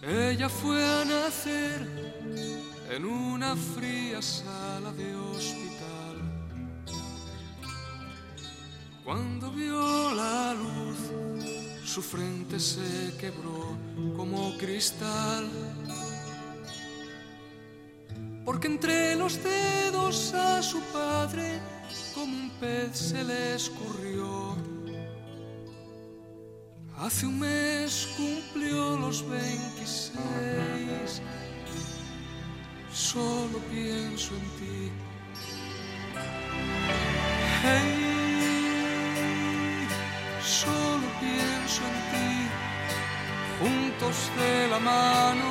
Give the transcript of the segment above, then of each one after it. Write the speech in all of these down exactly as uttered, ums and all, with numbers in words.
Ella fue a nacer en una fría sala de hospital. Cuando vio la luz, su frente se quebró como cristal. Porque entre los dedos a su padre como un pez se le escurrió. Hace un mes cumplió los veintiséis. Solo pienso en ti. Hey, solo pienso en ti. Juntos de la mano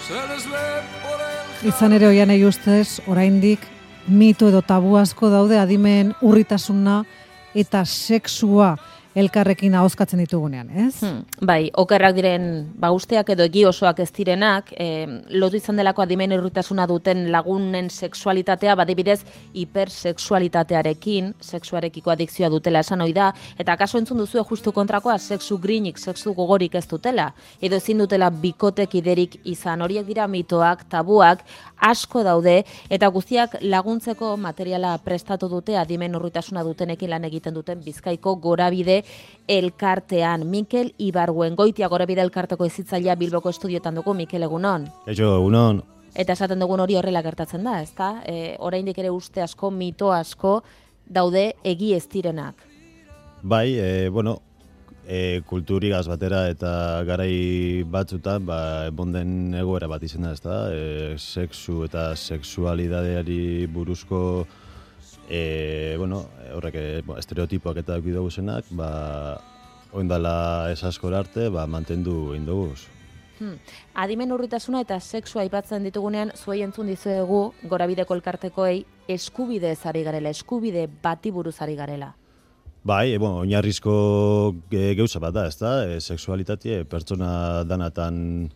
se les ve por el... Izan ere Oianei ustez, oraindik mito edo tabu asko daude adimen urritasuna eta sexua elkarrekin ahozkatzen ditugunean, ez? Hmm, bai, okerrak diren bausteak edo egi osoak ez direnak, eh, lotu izan delako adimen urritasuna duten lagunen sexualitatea, badibidez hipersexualitatearekin, sexuarekiko adikzioa dutela esan ohi da, eta kaso entzun duzue justu kontrakoa, sexu grinik, sexu gogorik ez dutela, edo ezin dutela bikotek iderik izan, horiek dira mitoak, tabuak, asko daude, eta guztiak laguntzeko materiala prestatu dute adimen urritasuna dutenekin lan egiten duten Bizkaiko Gorabide elkartean. Mikel Ibarguen, Goitia Gorabide elkarteko ezitzailea Bilboko estudioetan dugu. Mikel, egunon. Eixo, egunon. Eta esaten dugun hori horrela gertatzen da, ezta? E, oraindik ere uste asko, mito asko daude egi ez direnak. Bai, e, bueno, e, kulturigaz batera eta garai batzutan, ba, bonden egoera bat izan da, ezta? E, sexu eta sexualidadeari buruzko E, bueno, horrek e, estereotipoak eta eduki dugu zenak, ba, oindala esaskor arte, ba, mantendu egin dugu. Hmm. Adimen urritasuna eta sexua aipatzen ditugunean, zuei entzun dizuegu Gorabideko elkartekoei eskubidez ari garela, eskubide bati buruz ari garela. Bai, e, bueno, oinarrizko e, gauza bat da, ezta? E, sexualitatea pertsona danatan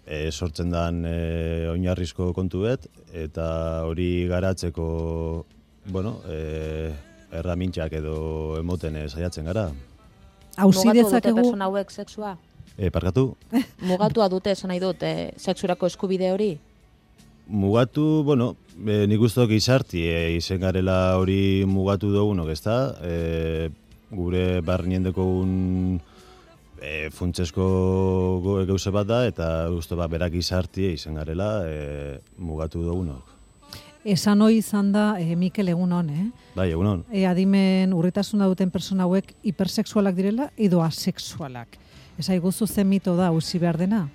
e, sortzen dan e, oinarrizko kontu bet, eta hori garatzeko bueno, eh, erramintzak edo emoten eh, saiatzen gara. Hauzi dezakegu... Mugatu dute persona hauek sexua? E, parkatu? Mugatua dute esan nahi dut, eh, sexurako eskubide hori? Mugatu, bueno, e, nik uste dut izarti e, izen garela hori mugatu dugunok, ez da? E, gure barrien dekogun e, funtsesko gauze bat da, eta uste bat berak izarti izen garela e, mugatu dugunok. Esan hoi izan da, e, Mikel, egunon, eh? Bai, egunon. E, adimen urritasuna duten persona hauek hipersexualak direla edo asexualak. Esa iguzu zen mito da, usi behar dena?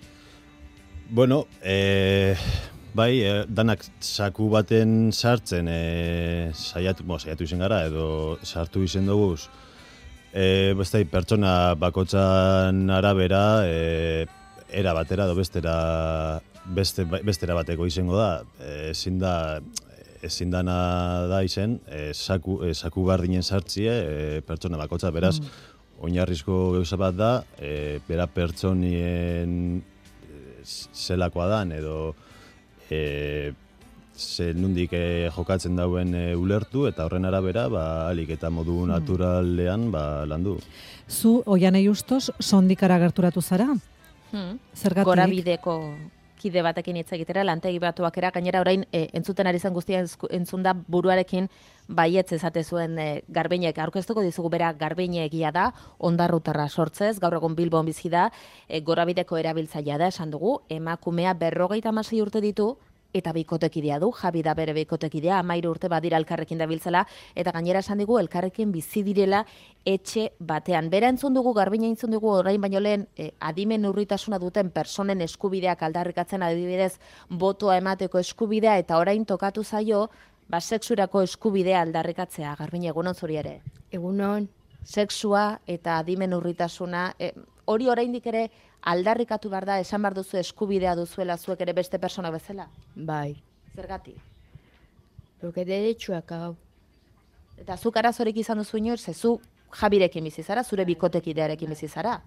Bueno, e, bai, e, danak saku baten sartzen e, saiatu, bo, saiatu izen gara edo sartu izen duguz. E, beste pertsona bakotzan arabera, e, era batera edo bestera Beste, bestera bateko izango da, ezin da, ezin dana da izen, e, saku, e, saku bardinen sartzie e, pertsona bakotza, beraz, mm. oinarrizko gauza bat da, e, bera pertsonien zelakoa dan, edo e, ze nundik e, jokatzen dauen e, ulertu, eta horren arabera, ba, alik eta modu naturalean ba, landu. Zu, Oianei ustez, sondikara gerturatu zara? Hmm. Zergatik? Gorabideko kide batekin hitz egitera, lantegi batuakera, gainera orain e, entzuten ari zen guztia entzun da buruarekin baietz ezate zuen e, Garbiñek, aurkeztuko dizugu bera Garbiñe egia da, ondarrutarra sortzez, gaur egun Bilbon bizi da, e, Gorabideko erabiltzailea da, esan dugu, emakumea berrogeita hamasei urte ditu, eta bikotekidea du, Javi da bere bikotekidea, hamairu urte badira elkarrekin dabiltzela, eta gainera esan digu elkarrekin bizi direla etxe batean. Bera entzun dugu, Garbina entzun dugu, orain baino lehen eh, adimen urritasuna duten personen eskubideak aldarrikatzen adibidez botoa emateko eskubidea, eta orain tokatu zaio, ba, sexurako eskubidea aldarrikatzea. Garbina, egunon zuri ere? Egunon. Sexua eta adimen urritasuna, eh, hori oraindik ere aldarrikatu behar da, esan behar duzu eskubidea duzuela zuek ere beste persona bezala? Bai. Zergatik? Porque derechuak hau. Eta zuk arazorik izan duzu inoiz, ze zu Jabirekin bizi zara, zure bikotekidearekin bizi zara.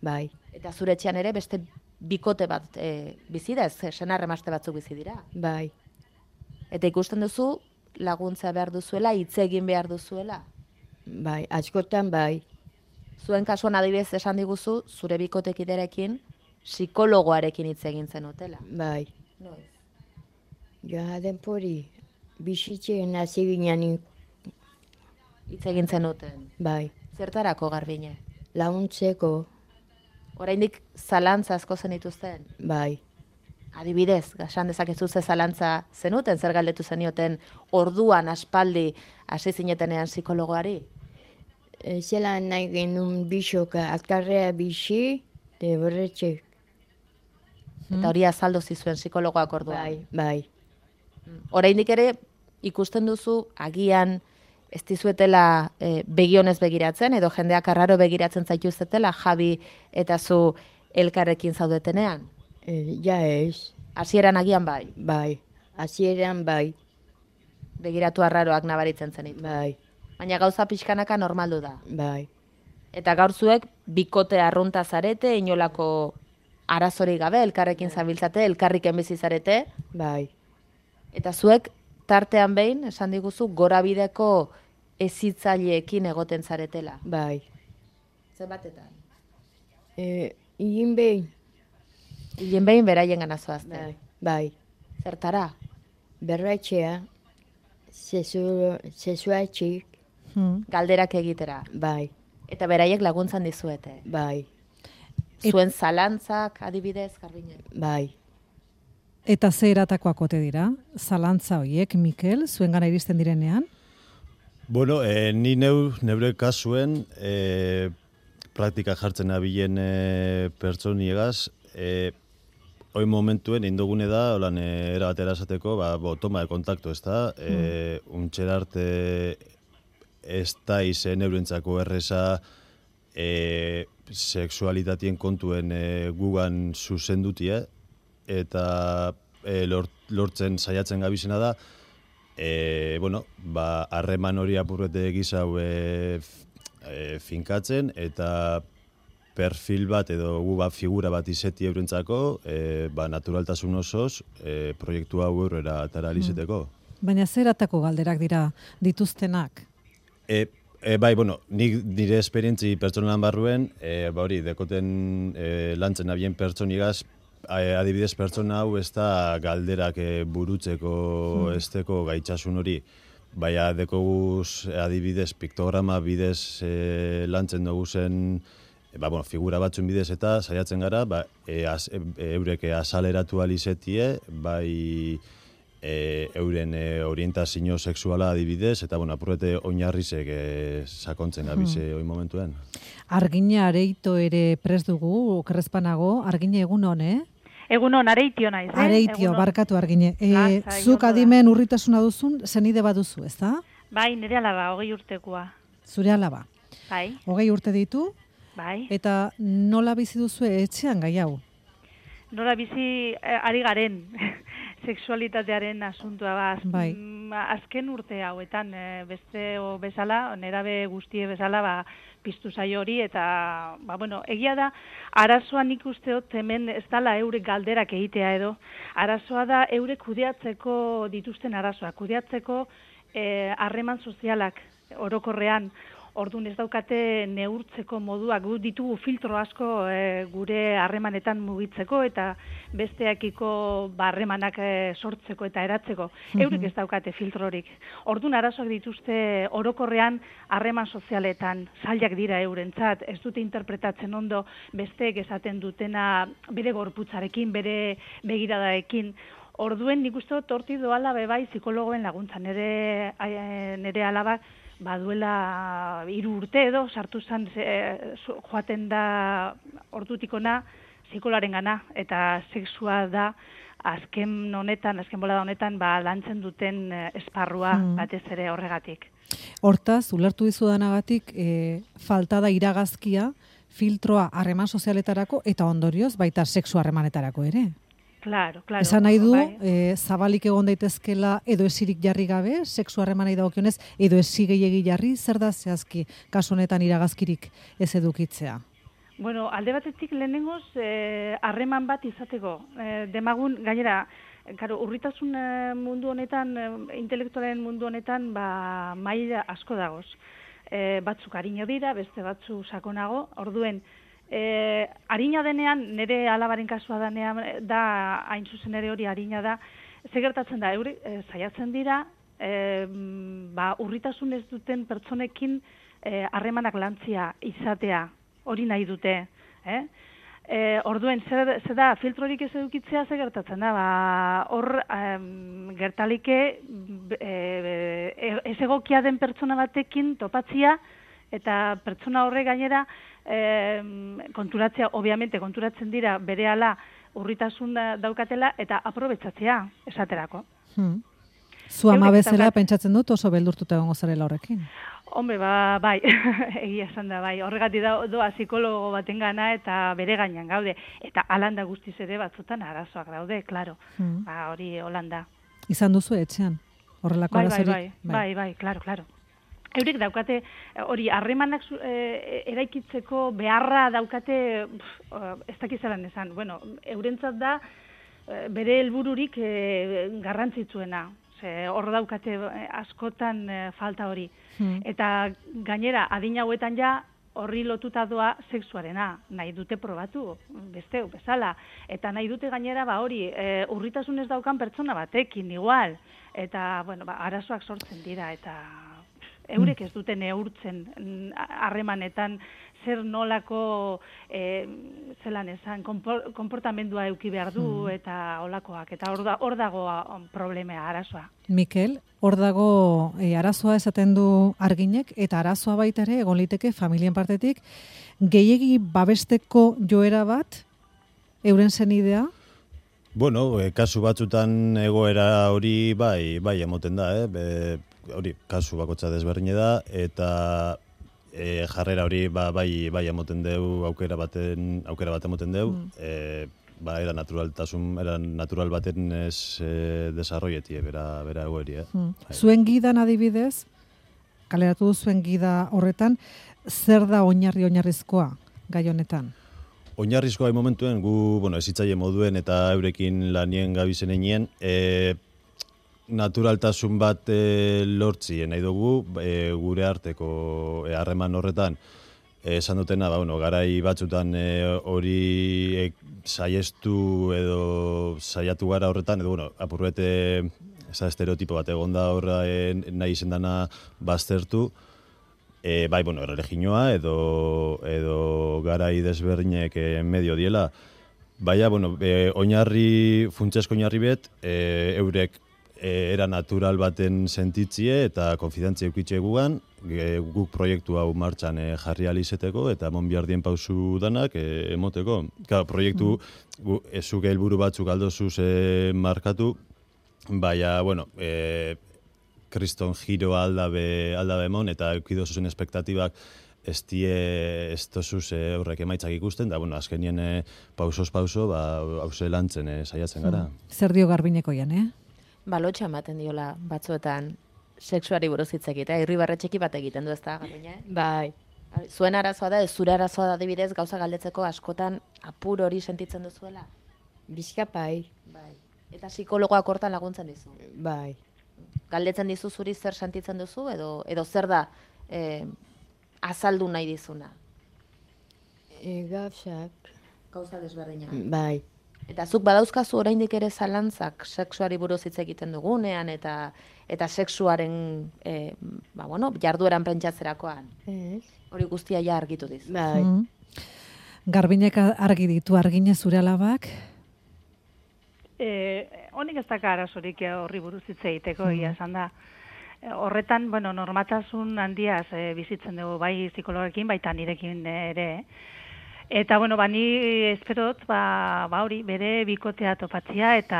Bai. Eta zure etxean ere beste bikote bat e, bizi da, ez senarremazte batzuk bizi dira. Bai. Eta ikusten duzu laguntza behar duzuela, hitz egin behar duzuela. Bai, askotan bai. Zuen kasuan adibidez esan diguzu, zure bikotekidearekin psikologoarekin hitz egin zenutela. Bai. Noiz? Ja, denpori, bizitzen hasi ginen, Hitz egin zenuten. bai. Zertarako Garbine? Launtzeko, Oraindik zalantza asko zenituzten? bai. Adibidez, gasan dezakezu ze zalantza zenuten, zer galdetu zenioten orduan aspaldi hasi zinetenean psikologoari? E, zelan nahi genuen bisoka, akarrea bisi, de berretxe. Eta hori azaldu zizuen psikologoak orduan. Bai, bai. Oraindik ere ikusten duzu agian ez dizuetela e, begionez begiratzen edo jendeak arraro begiratzen zaituztetela Javi eta zu elkarrekin zaudetenean. E, ja ez, Hasieran agian bai, bai. Hasieran bai, begiratu arraroak nabaritzen zenit. bai, Baina gauza pixkanaka normaldu da. bai. Eta gaur zuek bikote arrunta zarete, inolako arazorik gabe, elkarrekin zabiltzate, elkarriken bizi zarete, Bai, eta zuek tartean behin, esan diguzu, gorabideko ezitzaileekin egoten zaretela. bai. Zenbatetan? E, Igin behin, Hilen behin beraien gana zoazte. bai, bai. Zertara? Berretxea, zezuatxik, Hmm. Galderak egitera. bai, Eta beraiek laguntzan dizuete. bai, Et- Zuen zalantzak, adibidez, Garbine. bai. Eta ze eratakoak ote dira? Zalantza hoiek, Mikel, zuengana iristen direnean? Bueno, e, ni neu, neure kasuen e, praktika jartzen abilen e, pertsoniegaz, e, hoi momentuen indogune da, holan, e, era batera esateko, ba, bo, toma de kontakto, ez da, e, untxera arte ez da izen eurentzako erreza e, sexualitatien kontuen e, gugan zuzendutie, eta e, lort, lortzen saiatzen gabizena da, e, bueno, ba, harreman hori apurrete gizau e, f- e, finkatzen, eta perfil bat edo gu bat figura bat izeti eurentzako, e, ba, naturaltasun osoz e, proiektu hau aurrera atara alizeteko. Baina ze eratako galderak dira dituztenak? E, e, bai, bueno, nik nire esperientzi pertsonalan barruen, e, ba hori, dekoten e, lantzen abien pertsonigaz, a- adibidez pertsona hau ez da galderak e, burutzeko esteko gaitzasun hori. Baina dekoguz adibidez piktograma bidez e, lantzen dugu zen, e, ba, bueno, figura batzun bidez eta saiatzen gara, ba, e, az, e, eureke azaleratu alizetie, bai e, euren e, orientazio sexuala adibidez, eta bueno, apurrete oinarrizek e, sakontzen gabize hoi momentuen. Argina areito ere prest dugu, okerrezpanago, argine egun hon, eh? Egunon, areitio naiz, eh? Areitio, Egunon. barkatu argine. E, Lasai, zuk ondo da. adimen urritasuna duzun, zenide baduzu, ez da? Bai, nire alaba, hogei urtekoa. Zure alaba. Bai, Hogei urte ditu, bai. eta nola bizi duzu etxean gai hau? Nola bizi eh, ari garen sexualitatearen asuntua ba, az- Bai. mm, azken urte hauetan eh, beste o bezala, nerabe guztie bezala ba, piztu zaio hori eta ba, bueno, egia da arazoa nik uste dut hemen ez dala eurek galderak egitea edo arazoa da eurek kudeatzeko dituzten arazoak, kudeatzeko eh, harreman sozialak orokorrean. Orduan ez daukate neurtzeko moduak, gu ditugu filtro asko e, gure harremanetan mugitzeko eta besteakiko harremanak e, sortzeko eta eratzeko. Eurek ez daukate filtrorik. Orduan arazoak dituzte orokorrean harreman sozialetan, zailak dira eurentzat, ez dute interpretatzen ondo besteek esaten dutena bere gorputzarekin, bere begiradaekin. Orduen nik uste dut hortik doala bebai psikologoen laguntza. Nere, eh, nere alaba baduela hiru urte edo sartu zen e, joaten da ordutikona psikolaren gana eta sexua da azken honetan, azken bolada honetan ba, lantzen duten eh, esparrua batez ere horregatik. Hortaz, ulertu dizudanagatik, e, falta da iragazkia, filtroa harreman sozialetarako eta ondorioz baita sexu harremanetarako ere. Claro, claro. Esan nahi du, bai. e, zabalik egon daitezkela edo esirik jarri gabe, sexu harremanei dagokionez, edo esi gehiegi jarri, zer da zehazki kasu honetan iragazkirik ez edukitzea? Bueno, alde batetik lehenengoz eh, harreman bat izateko. Eh, demagun, gainera, Karo, urritasun eh, mundu honetan, eh, intelektualen mundu honetan, ba, maila asko dagoz. E, batzuk harino dira, beste batzu sakonago, orduen, E, harina denean, nire alabaren kasua danean, da hain zuzen ere hori harina da, ze gertatzen da, euri, e, saiatzen dira, e, ba, urritasun ez duten pertsonekin harremanak e, lantzia izatea, hori nahi dute. Eh? E, orduen, zer, zer da, filtrorik ez edukitzea ze gertatzen da, ba, hor em, gertalike e, e, ez egokia den pertsona batekin topatzia, eta pertsona horre gainera e, konturatzea, obviamente konturatzen dira berehala urritasun daukatela eta aprobetsatzea esaterako. Hmm. Zu ama bezala pentsatzen dut oso beldurtuta egongo zarela horrekin. Hombre, ba, bai, egia esan da, bai, horregatik da, doa psikologo baten gana eta bere gainean gaude. Eta alanda guztiz ere batzutan arazoak daude, klaro. Hmm. Ba, hori holanda. Izan duzu etxean, horrelako bai, arazorik? Bai, bai, bai, bai, klaro, klaro. Eurek daukate, hori, harremanak e, eraikitzeko beharra daukate, pff, ez dakizaran esan, bueno, eurentzat da bere helbururik e, garrantzitsuena. Hor daukate askotan e, falta hori. Hmm. Eta gainera, adin hauetan ja, horri lotuta doa sexuarena, nahi dute probatu, besteu, bezala. Eta nahi dute gainera, ba hori, e, urritasun ez daukan pertsona batekin, igual. Eta, bueno, ba, arazoak sortzen dira, eta eurek ez dute neurtzen harremanetan zer nolako e, zelan esan, konportamendua eduki behar du hmm. eta olakoak. Eta hor da, dago problemea, arazoa. Mikel, hor dago e, arazoa esaten du Arginek, eta arazoa baita ere egon liteke familien partetik gehiegi babesteko joera bat euren zenidea? Bueno, e, kasu batzutan egoera hori bai, bai emoten da, eh? Be, hori kasu bakotza desberdine da, eta e, jarrera hori ba, bai, bai emoten deu, aukera baten, aukera bat emoten deu, mm. e, ba, era naturaltasun, era natural baten ez e, desarroietie, bera, bera egoeri, eh? Mm. Zuen gidan adibidez, kaleratu du zuen gida horretan, zer da oinarri oinarrizkoa gai honetan? Oinarrizkoa momentuen, gu, bueno, ezitzaile moduen eta eurekin lanien gabizen einien, e, naturaltasun bat e, lortzi nahi dugu e, gure arteko harreman e, horretan esan dutena, ba, bueno, garai batzutan hori e, saiestu edo saiatu gara horretan, edo bueno, apurbete eza estereotipo bat egon da horra e, nahi izendana baztertu, e, bai, bueno, erreginoa edo, edo garai desberdinek e, medio diela, baina, bueno, e, oinarri, funtsesko oinarri bet, e, eurek era natural baten sentitzie eta konfidantzia eukitxe gugan, guk proiektu hau martxan e, jarri alizeteko eta mon biardien pausu danak e, emoteko. Claro, proiektu gu, ezuke helburu batzuk aldozuz e, markatu, baina, bueno, e, kriston giro aldabe, aldabe emon eta eukidozuzen espektatibak ez die ez tozuz e, horrek emaitzak ikusten, da, bueno, azkenien e, pausoz pauso, ba, hause lantzen e, saiatzen gara. Hmm. Zer dio Garbineko jan, eh? Balotxa ematen diola batzuetan sexuari buruz hitz egitea, irribarre txiki bat egiten du, ez da, Garbiñe? Bai. Zuen arazoa da, ez zure arazoa da adibidez gauza galdetzeko askotan apur hori sentitzen duzuela? Bizkapai. Bai. Eta psikologoak hortan laguntzen dizu? Bai. Galdetzen dizu zuri zer sentitzen duzu, edo, edo zer da eh, azaldu nahi dizuna? E, gauzak. Gauza desberdina. Bai. Eta zuk badauzkazu oraindik ere zalantzak sexuari buruz hitz egiten dugunean eta eta sexuaren e, ba, bueno, jardueran pentsatzerakoan. Ez. Hori guztia ja argitu dizu. Bai. Mm. Garbinek argi ditu, Argine zure alabak? E, honik ez daka arazorik horri buruz hitz egiteko, egia esan da. Horretan, bueno, normatasun handiaz e, bizitzen dugu, bai psikologekin, baita nirekin ere, Eta, bueno, ba, ni esperot, ba, ba hori, bere bikotea topatzia eta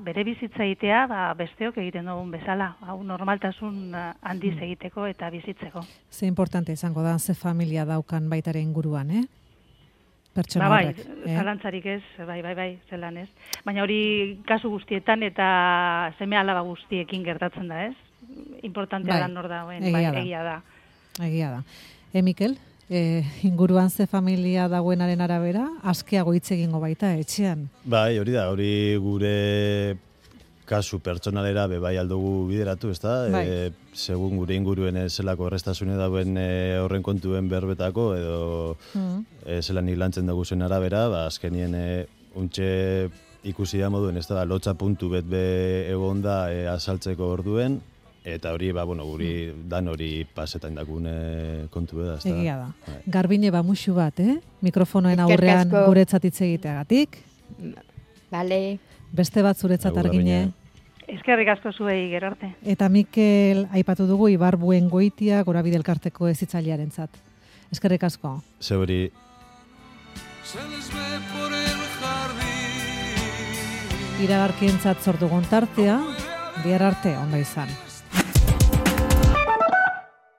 bere bizitza egitea, ba, besteok egiten dugun bezala. Hau normaltasun handiz egiteko eta bizitzeko. Ze importante izango da, ze familia daukan baitaren inguruan, eh? Pertsona ba, bai, horrek. Bai, zalantzarik ez, bai, bai, bai, zelan ez. Baina hori kasu guztietan eta seme alaba guztiekin gertatzen da, ez? Importantea bai, da nor da, bai, egia da. egia da. Egia da. E, Mikel? E, inguruan ze familia dagoenaren arabera, askeago hitz egingo baita etxean. Bai, hori da, hori gure kasu pertsonalera bebai aldugu bideratu, ezta? Bai. E, segun gure inguruen e, zelako errestasune dauen e, horren kontuen berbetako, edo Mm. e, zelan lantzen dugu zen arabera, ba, azkenien e, untxe ikusi da moduen, ez da, lotza puntu bet be egon da e, azaltzeko orduen, eta hori, ba, bueno, guri dan hori pasetan dakune kontu beda, ez da? Egia da. Bai. Garbine ba musu bat, eh? Mikrofonoen Eskerrik aurrean asko. guretzat hitz egiteagatik. Bale, Beste bat zuretzat Agur, Argine. Argine. Eskerrik asko zuei gero arte. Eta Mikel aipatu dugu Ibar Buen Goitia Gorabide elkarteko hezitzailearentzat. Eskerrik asko. Zeuri, Se les ve por el jardín. Iragarkientzat sortu gontartea, bihar arte ondo izan.